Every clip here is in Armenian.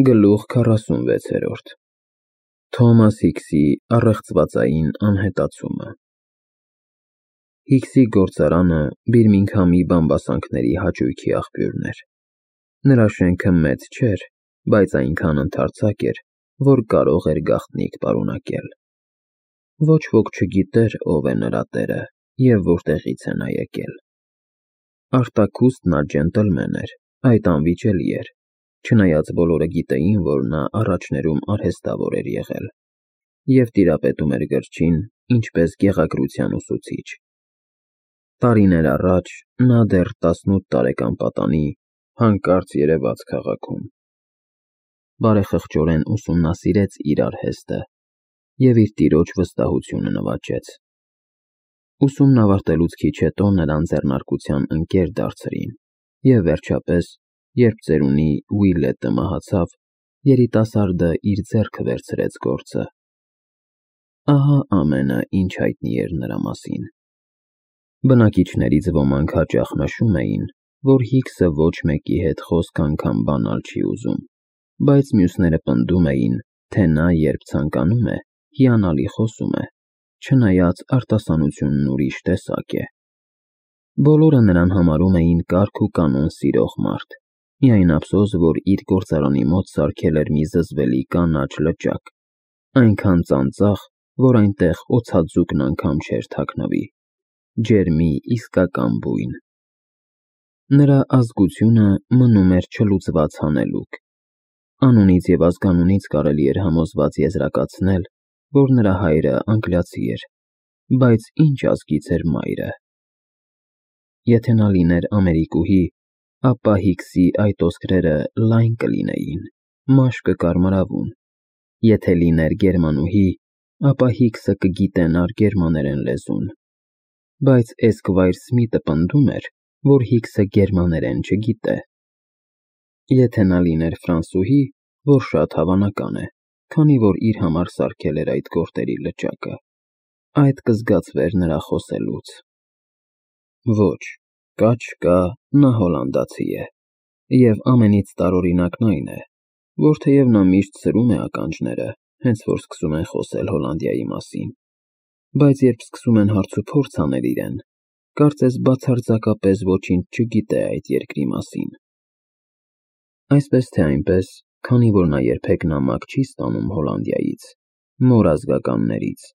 Գլուխ 46 Թոմաս Հիքսի առեղծվածային անհետացումը Հիքսի գործարանը Բիրմինգհամի բամբասանքների հաճույքի աղբյուրն էր։ Նրա շենքը մեծ չէր, բայց այնքան ընդարձակ էր, որ կարող էր գաղտնիք պարունակել։ Ոչ ոք չգիտեր, ով է նրա տերը և որտեղից է նա եկել։ Արտաքուստ նա ջենտլմեն էր, այդ անվիճելի էր, չնայած բոլորը գիտեին, որ նա առաջներում արհեստավոր էր եղել և տիրապետում էր գրչին, ինչպես գեղագրության ուսուցիչ։ Տարիներ առաջ նա դեռ 18 տարեկան պատանի հանկարծ երևաց քաղաքում։ Բարեխղճորեն ուսումնասիրեց իր արհեստը և իր տիրոջ վստահությունը նվաճեց։ Ուսումն ավարտելուց քիչ հետո նրան ձեռնարկության ընկեր դարձրին և վերջապես, երբ ծերունի Ուիլետը մահացավ, երիտասարդը իր ձեռքը վերցրեց գործը։ Ահա ամենը, ինչ հայտնի էր նրա մասին։ Բնակիչներից ոմանք հաճախ նշում էին, որ Հիքսը ոչ մեկի հետ խոսք անգամ բանալ չի ուզում, բայց մյուսները պնդում էին, թե նա երբ ցանկանում է, հիանալի խոսում է, չնայած արտասանությունն ուրիշ տեսակ է։ Բոլորը նրան համարում էին կարգ ու կանոն սիրող մարդ, միայն ափսոս, որ իր գործարանի մոտ սարքել էր մի զզվելի կանաչ լճակ, այնքան ծանծաղ, որ այնտեղ օձաձուկն անգամ չէր թաքնվի, ջերմի իսկական բույն։ Նրա ազգությունը մնում էր չլուծված հանելուկ։ Անունից և ազգանունից կարելի էր համոզված եզրակացնել, որ նրա հայրը անգլիացի էր, բայց ինչ ազգից էր մայրը։ Եթե նա լիներ ամերիկուհի, ապա Հիքսի այդ ոսկրերը լայն կլինեին, մաշկը կարմրավուն, եթե լիներ գերմանուհի, ապա Հիքսը կգիտենար գերմաներեն լեզուն, բայց Էսկվայր Սմիթը պնդում էր, որ Հիքսը գերմաներեն չգիտե։ Եթե նա լիներ ֆրանսուհի, որ շատ հավանական է, քանի որ իր համար սարքել էր այդ գորտերի լճակը, այդ կզգացվեր նրա խոսելուց։ Ոչ, կա չկա, նա հոլանդացի է, և ամենից տարօրինակն այն է, որ թեև նա միշտ սրում է ականջները, հենց որ սկսում են խոսել Հոլանդիայի մասին, բայց երբ սկսում են հարցուփորձ անել իրեն, կարծես բացարձակապես ոչինչ չգիտե այդ երկրի մասին։ Այսպես թե այնպես, քանի որ նա երբեք նամակ չի ստանում Հոլանդիայից, մոր ազգականներից,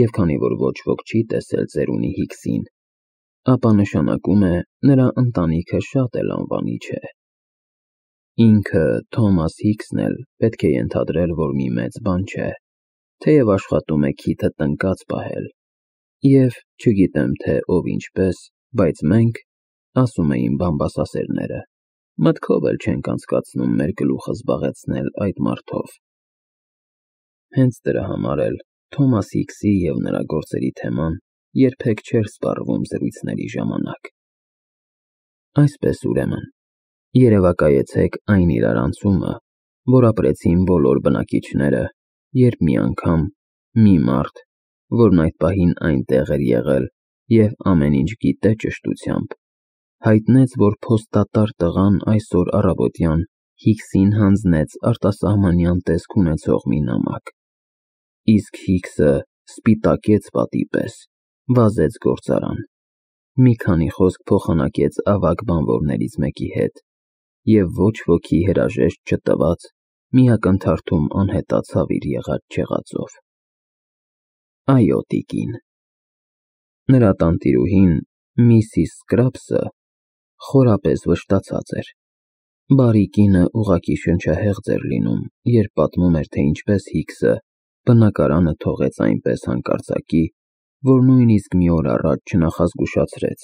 և քանի որ ոչ ոք չի տեսել ծերունի Հիքսին, ապա նշանակում է, նրա ընտանիքը շատ էլ անվանի չէ։ Ինքը Թոմաս Հիքսն էլ պետք է ենթադրեր, որ մի մեծ բան չէ, թեև աշխատում է քիթը տնկած պահել, և, չգիտեմ թե ով ինչպես, բայց մենք, ասում էին բամբասասերները, մտքով էլ չենք անցկացնում մեր գլուխը զբաղեցնել այդ մարդով։ Հենց դրա համար էլ Թոմաս Հիքսի և նրա գործերի թեման երբեք չէր սպառվում զրույցների ժամանակ։ Այսպես ուրեմն, երևակայեցեք այն իրարանցումը, որ ապրեցին բոլոր բնակիչները, երբ մի անգամ մի մարդ, որն այդ պահին այնտեղ էր եղել և ամեն ինչ գիտե ճշտությամբ, հայտնեց, որ փոստատար տղան այսօր առավոտյան Հիքսին հանձնեց արտասահմանյան տեսք ունեցող մի նամակ, իսկ Հիքսը սպիտակեց պատի պես, վազեց գործարան, մի քանի խոսք փոխանակեց ավագ բանվորներից մեկի հետ և ոչ ոքի հրաժեշտ չտված, մի ակնթարթում անհետացավ իր եղած-չեղածով։ Այո, տիկին։ Նրա տանտիրուհին, Միսիս Սկրափսը, խորապես վշտացած էր։ Բարի կինը ուղղակի շնչահեղձ էր լինում, երբ պատմում էր, թե ինչպես Հիքսը բնակարանը թողեց այնպես հանկարծակի, որ նույնիսկ մի օր առաջ չնախազգուշացրեց։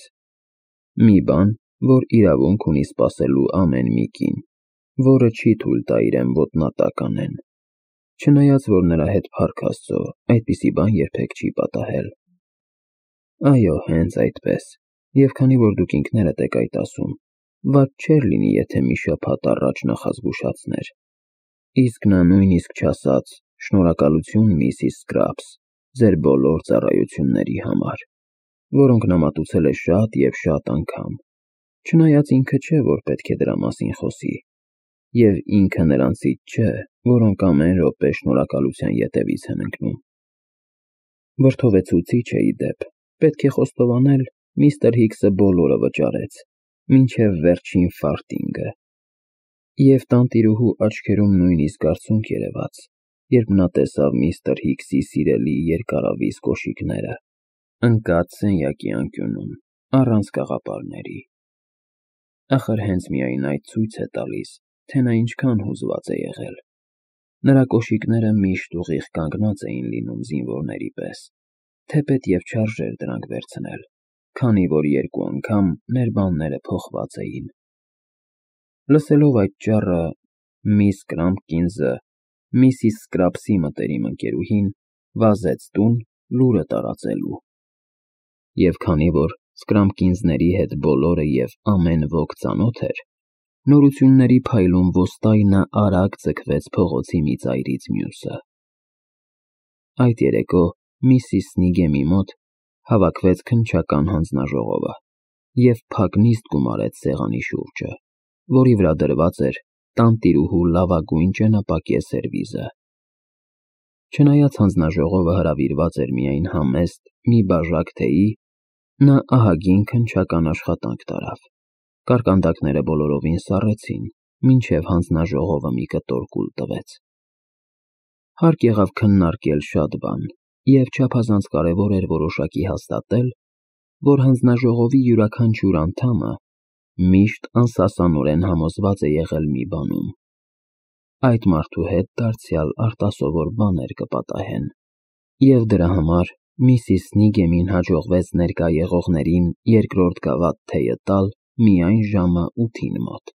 Մի բան, որ իրավունք ունի սպասելու ամեն մի կին, որը չի թույլ տա իրեն ոտնատակ անեն, չնայած որ նրա հետ փառք Աստծո, այդպիսի բան երբեք չի պատահել։ Այո, հենց այդպես, և քանի որ դուք ինքներդ եք այդ ասում, վատ չէր լինի, եթե մի շաբաթ առաջ նախազգուշացներ։ Իսկ նա նույնիսկ չասաց. «Շնորհակալություն, Միսիս Սկրափս, ձեր բոլոր ծառայությունների համար», որոնք նա մատուցել է շատ և շատ անգամ, չնայած ինքը չէ, որ պետք է դրա մասին խոսի։ և ինքը նրանցից չէ, որոնք ամեն րոպե շնորհակալության ետևից են ընկնում։ Վրդովեցուցիչ է ի դեպ, պետք է խոստովանել, միստր Հիքսը բոլորը վճարեց, մինչև վերջին ֆարտինգը։ Եվ տանտիրուհու աչքերում նույնիսկ արցունք երևաց, երբ նա տեսավ միստր Հիքսի սիրելի երկարավիզ կոշիկները, ընկած սենյակի անկյունում, առանց կաղապարների։ Ախր հենց միայն այդ ցույց է տալիս, թե նա ինչքան հուզված է եղել։ Նրա կոշիկները միշտ ուղիղ կանգնած էին լինում զինվորների պես, թեպետ և չարժեր դրանք վերցնել, քանի որ երկու անգամ ներբանները փոխված էին։ Լսելով այդ ճառը, միս Կրամփկինսը, միսիս Սկրափսի մտերիմ ընկերուհին, վազեց տուն լուրը տարածելու։ Եվ քանի որ Սկրամփկինսների հետ բոլորը և ամեն ոք ծանոթ էր, նորությունների փայլուն ոստայնը արագ ձգվեց փողոցի մի ծայրից մյուսը։ Այդ երեկո միսիս Սնիգեմի մոտ հավաքվեց քննչական հանձնաժողովը և փակ նիստ գումարեց սեղանի շուրջը, որի վրա դրված էր տանտիրուհու լավագույն ճենապակյա սերվիզը։ Չնայած հանձնաժողովը հրավիրված էր միայն համեստ մի բաժակ թեյի, նա ահագին քննչական աշխատանք տարավ։ Կարկանդակները բոլորովին սառեցին, մինչև հանձնաժողովը մի կտոր կուլ տվեց։ Հարկ եղավ քննարկել շատ բան, և չափազանց կարևոր էր որոշակի հաստատել, որ հանձնաժողովի յուրաքանչյուր անդամը միշտ անսասանորեն համոզված է եղել մի բանում. այդ մարդու հետ դարձյալ արտասովոր բաներ կպատահեն, և դրա համար միսիս Սնիգեմին հաջողվեց ներկա եղողներին երկրորդ գավաթ թեյը տալ միայն ժամը 8-ին մոտ։